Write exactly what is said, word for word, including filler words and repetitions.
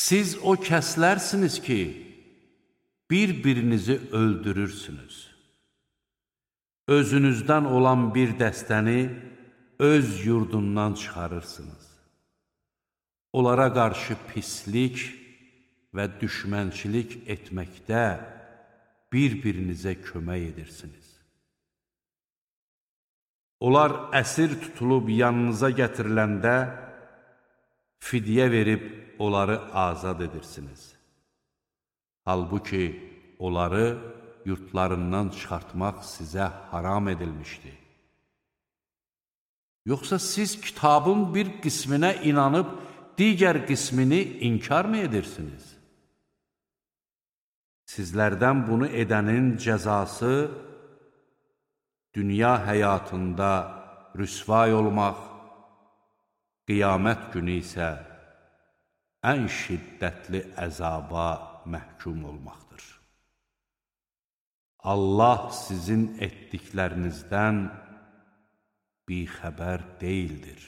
Siz o kəslərsiniz ki, bir-birinizi öldürürsünüz. Özünüzdən olan bir dəstəni öz yurdundan çıxarırsınız. Onlara qarşı pislik və düşmənçilik etməkdə bir-birinizə kömək edirsiniz. Onlar əsir tutulub yanınıza gətiriləndə fidyə verib onları azad edirsiniz. Halbuki onları yurtlarından çıxartmaq sizə haram edilmişdir. Yoxsa siz kitabın bir qisminə inanıb, digər qismini inkar mı edirsiniz? Sizlərdən bunu edənin cəzası dünya həyatında rüsvay olmaq, qiyamət günü isə ən şiddətli əzaba məhkum olmaqdır. Allah sizin etdiklərinizdən bixəbər deyildir.